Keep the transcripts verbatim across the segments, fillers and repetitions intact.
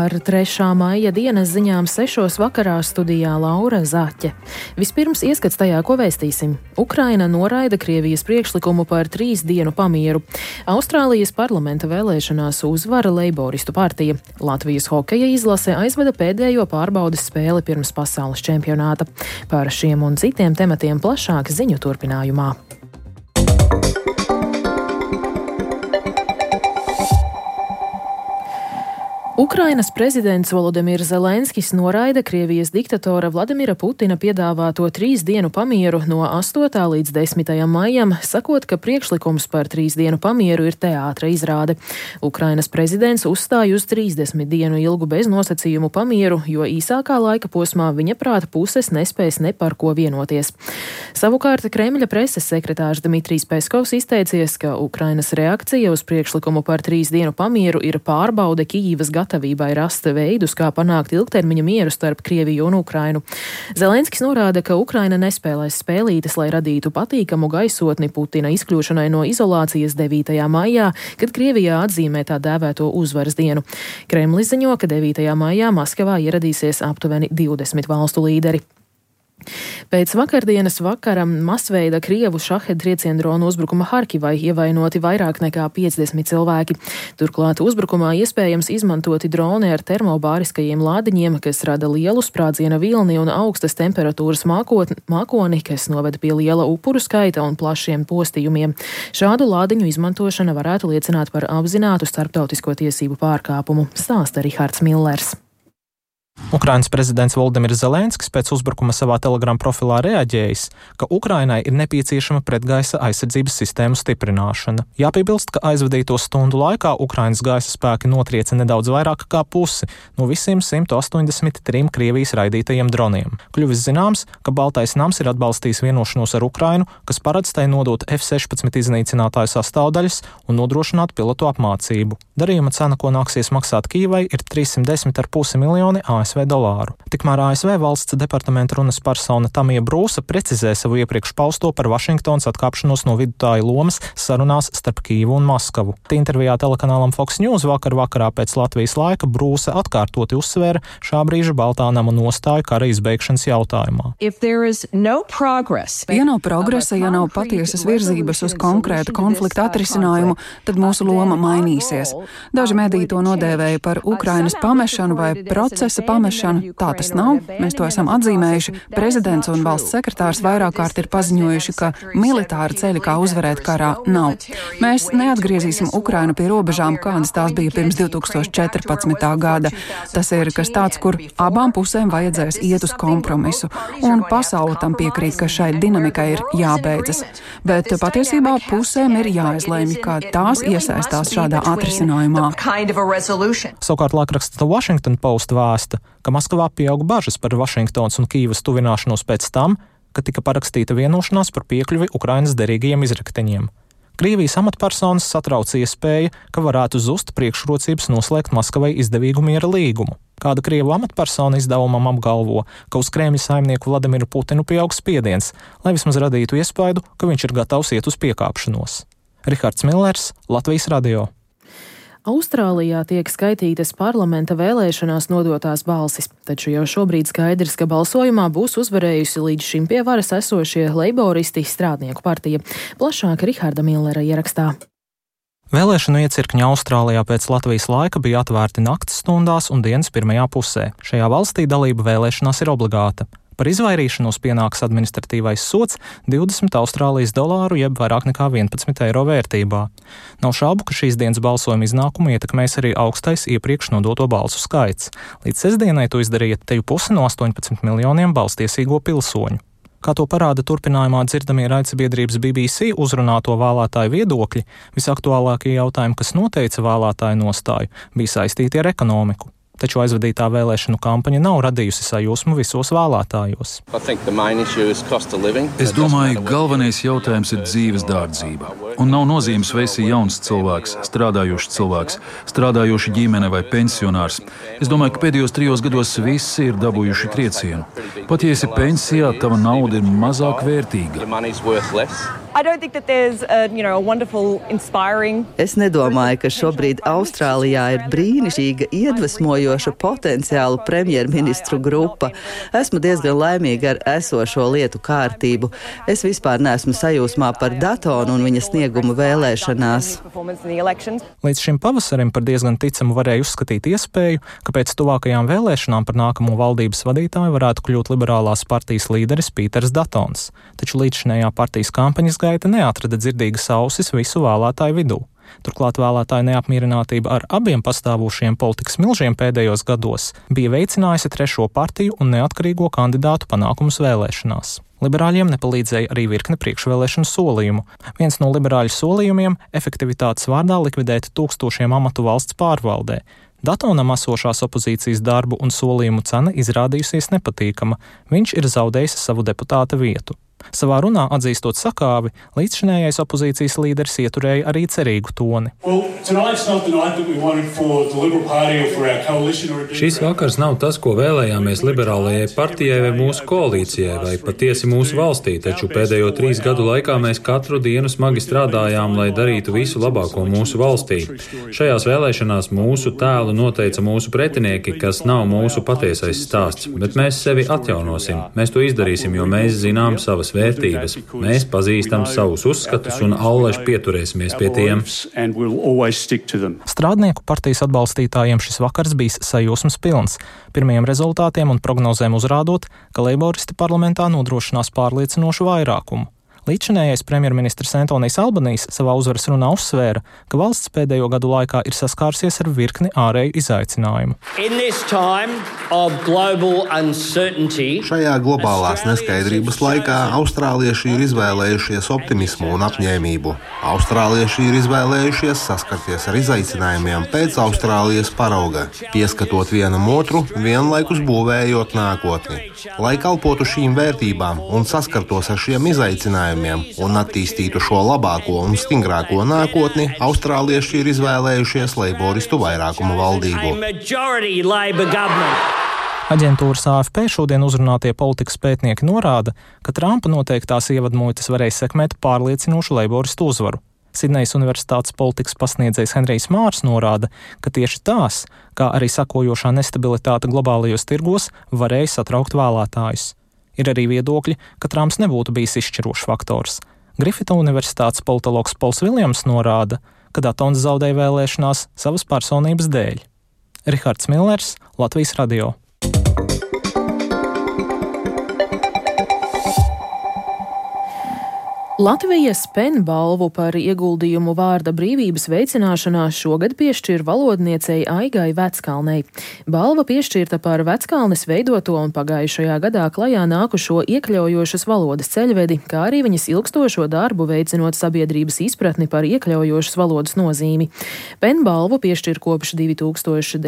Ar trešā maija dienas ziņām sešos vakarā studijā Laura Zaķe. Vispirms ieskats tajā, ko vēstīsim. Ukraina noraida Krievijas priekšlikumu par trīs dienu pamieru. Austrālijas parlamenta vēlēšanās uzvara Leiboristu partija. Latvijas hokeja izlase aizveda pēdējo pārbaudes spēli pirms pasaules čempionāta. Par šiem un citiem tematiem plašāk ziņu turpinājumā. Ukrainas prezidents Volodimirs Zelenskis noraida Krievijas diktatora Vladimira Putina piedāvāto trīs dienu pamieru no astotā līdz desmitajam maijam, sakot, ka priekšlikums par trīs dienu pamieru ir teātra izrāde. Ukrainas prezidents uzstāj uz trīsdesmit dienu ilgu beznosacījumu pamieru, jo īsākā laika posmā viņa prāta puses nespēs ne par ko vienoties. Savukārt Kremļa preses sekretārs Dmitrijs Peskovs izteicies, ka Ukrainas reakcija uz priekšlikumu par trīs dienu pamieru ir pārbaude Kijivas gatavībai. gatavībai rast veidus, kā panākt ilgtermiņa mieru starp Krieviju un Ukrainu. Zelenskis norāda, ka Ukraina nespēlēs spēlītes, lai radītu patīkamu gaisotni Putina izkļūšanai no izolācijas devītajā maijā, kad Krievijā atzīmē tā dēvēto uzvaras dienu. Kremlis ziņo, ka devītajā maijā Maskavā ieradīsies aptuveni divdesmit valstu līderi. Pēc vakardienas vakara masveida Krievu šaheda triecienu dronu uzbrukuma Harkivai ievainoti vairāk nekā piecdesmit cilvēki. Turklāt uzbrukumā iespējams izmantoti droni ar termobāriskajiem lādiņiem, kas rada lielu sprādziena vilni un augstas temperatūras mākotni, mākoni, kas noveda pie liela upuru skaita un plašiem postījumiem. Šādu lādiņu izmantošana varētu liecināt par apzinātu starptautisko tiesību pārkāpumu, stāsta Rihards Millers. Ukrainas prezidents Volodimirs Zelenskis pēc uzbrukuma savā Telegram profilā reaģējis, ka Ukrainai ir nepieciešama pretgaisa aizsardzības sistēmu stiprināšana. Jāpiebilst, ka aizvadīto stundu laikā Ukrainas gaisa spēki notrieca nedaudz vairāk kā pusi no visiem simt astoņdesmit trim Krievijas raidītajiem droniem. Kļuvis zināms, ka Baltais nams ir atbalstījis vienošanos ar Ukrainu, kas paredz tai nodot F sešpadsmit iznīcinātāju sastāvdaļas un nodrošināt pilotu apmācību. Darījuma cena, ko nāksies maksāt Kijivai, ir trīssimt desmit ar pusi miljoni A S V dolāru. Tikmēr A S V valsts departamenta runas persona Tamija Brūsa precizē savu iepriekš pausto par Vašingtonas atkāpšanos no vidutāja lomas sarunās starp Kijevu un Maskavu. Intervijā telekanālam Fox News vakar vakarā pēc Latvijas laika Brūsa atkārtoti uzsvēra šā brīža Baltā nama nostāju kara izbeigšanas jautājumā. No progress, ja nav progresa, ja nav patiesas virzības uz konkrētu konflikta atrisinājumu, tad mūsu loma mainīsies. Daži mediji to nodēvēja par Ukrainas pamešanu vai procesa pamešanu. Tā tas nav. Mēs to esam atzīmējuši. Prezidents un valsts sekretārs vairāk kārt ir paziņojuši, ka militāra ceļa, kā uzvarēt karā, nav. Mēs neatgriezīsim Ukrainu pie robežām, kādas tās bija pirms divi tūkstoši četrpadsmitā gada. Tas ir kas tāds, kur abām pusēm vajadzēs iet uz kompromisu. Un pasaule tam piekrīt, ka šai dinamikai ir jābeidzas. Bet patiesībā pusēm ir jāizlēmj, kā tās iesaistās šādā atrisinājumā. Savukārt laikraksts The Washington Post vēsta, ka Maskavā pieauga bažas par Vašingtonas un Kijivas tuvināšanos pēc tam, kad tika parakstīta vienošanās par piekļuvi Ukrainas derīgajiem izrakteņiem. Krievijas amatpersonas satrauca iespēja, ka varētu zust priekšrocības noslēgt Maskavai izdevīgu miera līgumu. Kāda Krievu amatpersona izdevumam apgalvo, ka uz Kremļa saimnieku Vladimiru Putinu pieaug spiediens, lai vismaz radītu iespaidu, ka viņš ir gatavs iet uz piekāpšanos. Rihards Millers, Latvijas radio. Austrālijā tiek skaitītas parlamenta vēlēšanās nodotās balsis, taču jau šobrīd skaidrs, ka balsojumā būs uzvarējusi līdz šim pie varas esošie Leiboristi strādnieku partija. Plašāk Riharda Millera ierakstā. Vēlēšanu iecirkņi Austrālijā pēc Latvijas laika bija atvērti nakts stundās un dienas pirmajā pusē. Šajā valstī dalība vēlēšanās ir obligāta. Par izvairīšanos pienāks administratīvais sods divdesmit Austrālijas dolāru jeb vairāk nekā vienpadsmit eiro vērtībā. Nav šaubu, ka šīs dienas balsojuma iznākumu ietekmēs arī augstais iepriekš nodoto balsu skaits. Līdz sestdienai to izdarīja teju pusi no astoņpadsmit miljoniem balstiesīgo pilsoņu. Kā to parāda turpinājumā dzirdamie raidsabiedrības B B C uzrunāto vēlētāju viedokļi, visaktuālākie jautājumi, kas noteica vēlētāju nostāju, bija saistīti ar ekonomiku. Taču aizvadītā vēlēšanu kampaņa nav radījusi sajūsmu visos vēlētājos. Es domāju, galvenais jautājums ir dzīves dārdzība. Un nav nozīmes, vai esi jauns cilvēks, strādājošs cilvēks, strādājoša ģimene vai pensionārs. Es domāju, ka pēdējos trijos gados visi ir dabūjuši triecienu. Pat ja esi pensijā, tava nauda ir mazāk vērtīga. Es nedomāju, ka šobrīd Austrālijā ir brīnišķīga, iedvesmojoša potenciālu premjerministru grupa. Esmu diezgan laimīga ar esošo lietu kārtību. Es vispār neesmu sajūsmā par Datonu un viņa sniegumu vēlēšanās. Līdz šim pavasarim par diezgan ticamu varēja uzskatīt iespēju, ka pēc tuvākajām vēlēšanām par nākamo valdības vadītāju varētu kļūt liberālās partijas līderis Pīters Datons, taču līdzšinējā partijas kampaņas gaita neatrada dzirdīgas ausis visu vēlētāju vidū. Turklāt vēlētāju neapmierinātība ar abiem pastāvošiem politikas milžiem pēdējos gados bija veicinājusi trešo partiju un neatkarīgo kandidātu panākumus vēlēšanās. Liberāļiem nepalīdzēja arī virkne priekšvēlēšanu solījumu. Viens no liberāļu solījumiem - efektivitātes vārdā likvidēt tūkstošiem amatu valsts pārvaldē. Datonam esošās opozīcijas darbu un solījumu cena izrādījusies nepatīkama. Viņš ir zaudējis savu deputāta vietu. Savā runā atzīstot sakāvi, līdzšinējais opozīcijas līderis ieturēja arī cerīgu toni. Šis vakars nav tas, ko vēlējāmies liberālajai partijai vai mūsu koalīcijai, vai patiesi mūsu valstī, taču pēdējo trīs gadu laikā mēs katru dienu smagi strādājām, lai darītu visu labāko mūsu valstī. Šajās vēlēšanās mūsu tēlu noteica mūsu pretinieki, kas nav mūsu patiesais stāsts, bet mēs sevi atjaunosim. Mēs to izdarīsim, jo mēs zinām savas vērtības. Mēs pazīstam savus uzskatus un allaž pieturēsimies pie tiem. Strādnieku partijas atbalstītājiem šis vakars bijis sajūsmas pilns. Pirmajiem rezultātiem un prognozēm uzrādot, ka leiboristi parlamentā nodrošinās pārliecinošu vairākumu. Līdzšinējais premjerministrs Antonijs Albanijs savā uzvaras runā uzsvēra, ka valsts pēdējo gadu laikā ir saskārusies ar virkni ārēju izaicinājumu. Šajā globālās neskaidrības laikā austrālieši ir izvēlējušies optimismu un apņēmību. Austrālieši ir izvēlējušies saskarties ar izaicinājumiem pēc Austrālijas parauga, pieskatot vienam otru, vienlaikus būvējot nākotni. Lai kalpotu šīm vērtībām un saskartos ar šiem izaicinājumiem, un attīstītu šo labāko un stingrāko nākotni, austrālieši ir izvēlējušies leiboristu vairākumu valdību. Aģentūras A F P šodien uzrunātie politikas pētnieki norāda, ka Trumpa noteiktās ievadmuitas varēja sekmēt pārliecinošu leiboristu uzvaru. Sidnejas Universitātes politikas pasniedzējs Henrijs Mārs norāda, ka tieši tās, kā arī sakojošā nestabilitāte globālajos tirgos, varēja satraukt vēlētājus. Ir arī viedokļi, ka Trumps nebūtu bijis izšķirošs faktors. Grifita Universitātes politologs Pols Viljams norāda, ka Datons zaudēja vēlēšanās savas personības dēļ. Rihards Millers, Latvijas radio. Latvijas PEN balvu par ieguldījumu vārda brīvības veicināšanā šogad piešķir valodniecei Aigai Veckalnei. Balva piešķirta par Veckalnes veidoto un pagājušajā gadā klajā nākušo iekļaujošas valodas ceļvedi, kā arī viņas ilgstošo darbu veicinot sabiedrības izpratni par iekļaujošas valodas nozīmi. PEN balvu piešķir kopš divi tūkstoši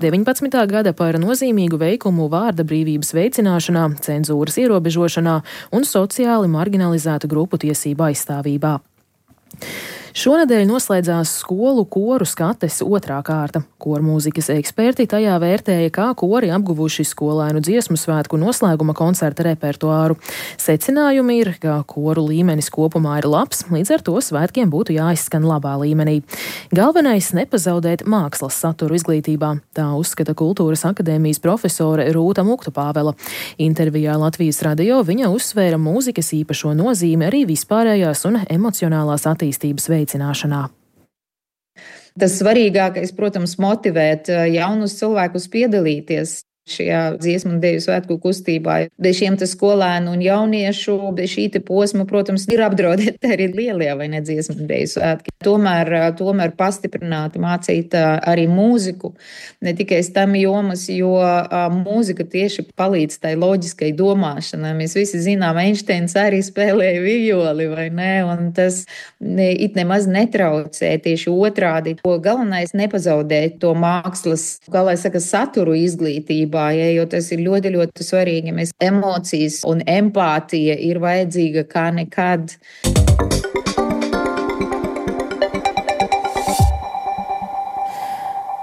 deviņpadsmitā gada par nozīmīgu veikumu vārda brīvības veicināšanā, cenzūras ierobežošanā un sociāli marginalizēšanā grupu tiesību aizstāvībā. Šonedēļ noslēdzās skolu koru skates otrā kārta. Kormūzikas eksperti tajā vērtēja, kā kori apguvuši skolēnu dziesmu svētku noslēguma koncerta repertuāru. Secinājumi ir, ka koru līmenis kopumā ir labs, līdz ar to svētkiem būtu jāizskan labā līmenī. Galvenais nepazaudēt mākslas saturu izglītībā, tā uzskata Kultūras akadēmijas profesore Rūta Muktupāvela. Intervijā Latvijas radio viņa uzsvēra mūzikas īpašo nozīmi arī vispārējās un emocionālās attīstības veicināšanā. Tas svarīgākais, protams, motivēt jaunus cilvēkus piedalīties šajā dziesmu un deju svētku kustībā. Bez šiem te skolēnu un jauniešu, bez šī te posma, protams, ir apdraudēti arī lielie vai ne dziesmu un deju svētki. Tomēr, tomēr pastiprināt, mācīt arī mūziku, ne tikai stam jomas, jo mūzika tieši palīdz tai loģiskai domāšanai. Mēs visi zinām, Einsteins arī spēlēja violi, vai ne, un tas it nemaz netraucē, tieši otrādi. Galvenais nepazaudēt to mākslas, kā lai saka, saturu izglītību. Ja, jo tas ir ļoti, ļoti svarīgi. Mēs emocijas un empātija ir vajadzīga kā nekad.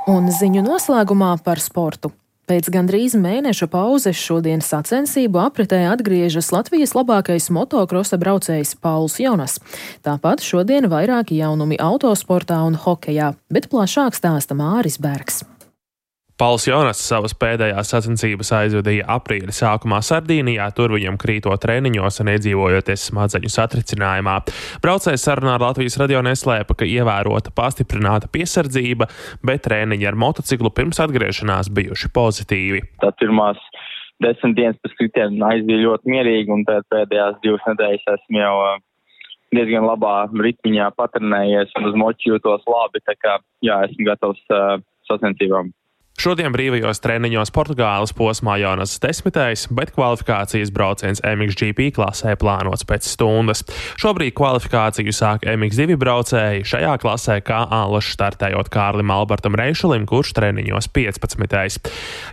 Un ziņu noslēgumā par sportu. Pēc gandrīz mēneša pauzes šodien sacensību apritē atgriežas Latvijas labākais motokrosa braucējs Pauls Jonas. Tāpat šodien vairāki jaunumi autosportā un hokejā, bet plašāk stāsta Māris Bergs. Pauls Jonas savas pēdējās sacensības aizvadīja aprīļa sākumā Sardīnijā, tur viņam krītot treniņos un iedzīvojoties smadzeņu satricinājumā. Braucējs sarunā ar Latvijas radio neslēpa, ka ievērota pastiprināta piesardzība, bet treniņi ar motociklu pirms atgriešanās bijuši pozitīvi. Tā pirmās desmit dienas pēc kritieniem aizbija ļoti mierīgi, un tad pēdējās divas nedēļas esmu jau diezgan labā ritmiņā patrenējies un uz moči jūtos labi, tā kā jā, esmu gatavs uh, sacensībām. Šodien brīvajos treniņos Portugāles posmā Jonas desmitais, bet kvalifikācijas brauciens M X G P klasē plānots pēc stundas. Šobrīd kvalifikāciju sāk M X divi braucēji, šajā klasē kā ālaši startējot Kārlim Albertam Reišelim, kurš treniņos piecpadsmitais.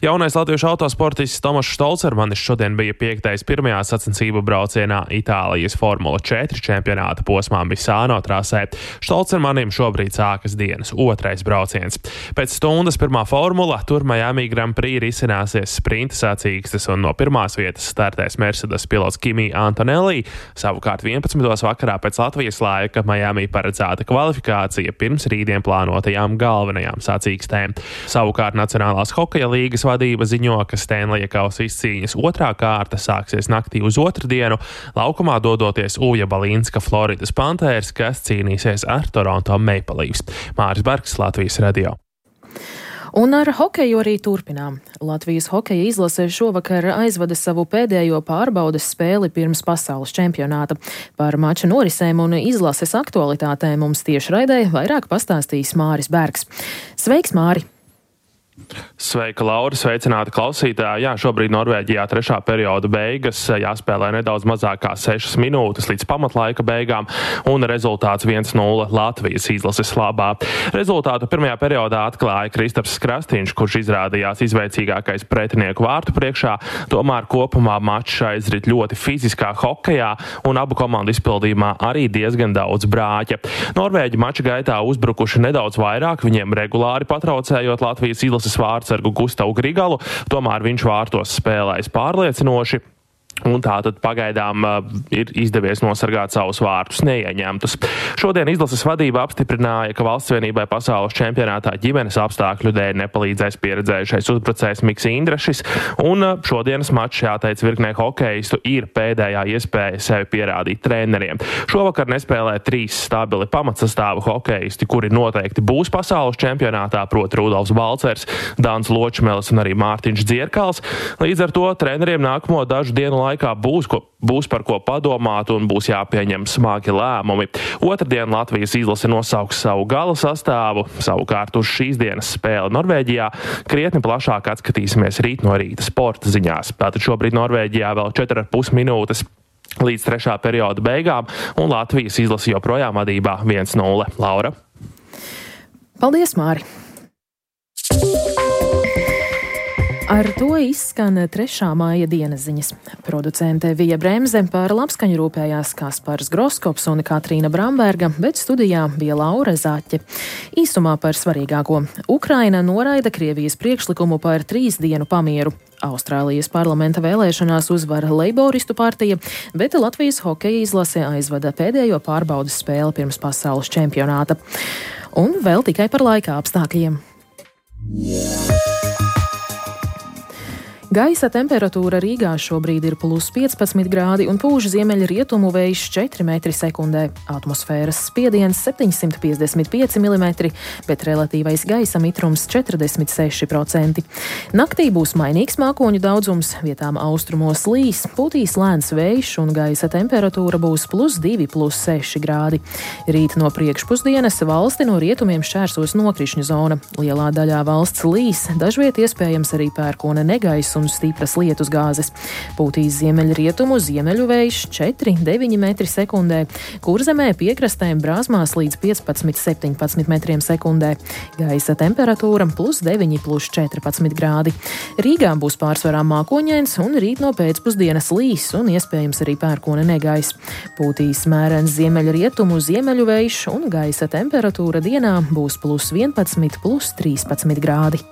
Jaunais latviešu autosportists Tomašs Stolcermanis šodien bija piektais pirmajā sacensību braucienā Itālijas Formula četri čempionāta posmā Misāno trasē. Stolcermanim šobrīd sākas dienas otrais brauciens. Pēc stundas pirmā formula. Tur Miami Grand Prix risināsies sprinta sacīkstes un no pirmās vietas startēs Mercedes pilots Kimi Antonelli. Savukārt vienpadsmitos vakarā pēc Latvijas laika Miami paredzēta kvalifikācija pirms rītdien plānotajām galvenajām sacīkstēm. Savukārt Nacionālās hokeja līgas vadība ziņo, ka Stanleya kausa izcīņas otrā kārta sāksies naktī uz otrdienu, laukumā dodoties Uja Balinska Floridas Panthers, kas cīnīsies ar Toronto Maple Leafs. Māris Bergs, Latvijas radio. Un ar hokeju arī turpinām. Latvijas hokeja izlase šovakar aizvada savu pēdējo pārbaudes spēli pirms pasaules čempionāta. Par mača norisēm un izlases aktualitātēm mums tiešraidē vairāk pastāstīs Māris Bergs. Sveiks, Māri! Sveika, Laura, sveicināti klausītāji. Jā, šobrīd Norvēģijā trešā perioda beigas, jāspēlē nedaudz mazāk kā sešas minūtes līdz pamatlaika beigām, un rezultāts viens nulle Latvijas izlases labā. Rezultātu pirmajā periodā atklāja Kristaps Krastīņš, kurš izrādījās izveicīgākais pretinieku vārtu priekšā, tomēr kopumā mačs aizrit ļoti fiziskā hokejā, un abu komandu izpildījumā arī diezgan daudz brāķa. Norvēģi mača gaitā uzbrukuši nedaudz vairāk, viņiem regulāri patraucējot Latvijas izlases vārtsargu Gustavu Grigalu, tomēr viņš vārtos spēlējis pārliecinoši. Un tātad pagaidām uh, ir izdevies nosargāt savus vārtus neieņemtus. Šodien izlases vadība apstiprināja, ka Valsts vienībai pasaules čempionātā ģimenes apstākļu dēļ nepalīdzēs pieredzējušais uzbrucējs Miks Indrašis, un uh, šodienas mačs, jāteic, virknē hokeistu ir pēdējā iespēja sevi pierādīt treneriem. Šovakar nespēlē trīs stabili pamatsastāvu hokeisti, kuri noteikti būs pasaules čempionātā, proti Rudolfs Balcers, Dans Ločmelis un arī Mārtiņš Dzierkals. Līdz ar to treneriem nākamo dažu dienu laikā būs, ko, būs par ko padomāt un būs jāpieņem smagi lēmumi. Otradien Latvijas izlase nosauks savu gala sastāvu, savukārt uz šīs dienas spēli Norvēģijā krietni plašāk atskatīsimies rīt no rīta sporta ziņās. Tātad šobrīd Norvēģijā vēl četras ar pus minūtes līdz trešā perioda beigām, un Latvijas izlase joprojām vadībā viens nulle. Laura? Paldies, Māri! Ar to izskan trešā māja dienas ziņas. Producente Vija Bremze, par labskaņu rūpējās Kaspars Groskops un Katrīna Bramberga, bet studijā bija Laura Zaķe. Īsumā par svarīgāko. Ukraina noraida Krievijas priekšlikumu par trīs dienu pamieru. Austrālijas parlamenta vēlēšanās uzvara Leiboristu partija, bet Latvijas hokeja izlase aizvada pēdējo pārbaudes spēli pirms pasaules čempionāta. Un vēl tikai par laika apstākļiem. Gaisa temperatūra Rīgā šobrīd ir plus piecpadsmit grādi un pūš ziemeļrietumu vējš četri metri sekundē. Atmosfēras spiediens septiņsimt piecdesmit pieci milimetri, bet relatīvais gaisa mitrums četrdesmit seši procenti. Naktī būs mainīgs mākoņu daudzums, vietām austrumos līs, pūtīs lēns vējš un gaisa temperatūra būs plus divi, plus seši grādi. Rīt no priekšpusdienas valsti no rietumiem šķērsos nokrišņu zona. Lielā daļā valsts līs, dažviet iespējams arī pērkona negaiss un stipras lietus gāzes. Pūtīs ziemeļrietumu ziemeļu vējš četri deviņi metri sekundē, Kurzemē piekrastēm brāzmās līdz piecpadsmit septiņpadsmit metriem sekundē. Gaisa temperatūra plus deviņi plus četrpadsmit grādi. Rīgā būs pārsvarā mākoņains un rīt no pēcpusdienas līs un iespējams arī pērkona negaiss. Pūtīs mērens ziemeļrietumu ziemeļu vējš un gaisa temperatūra dienā būs plus vienpadsmit plus trīspadsmit grādi.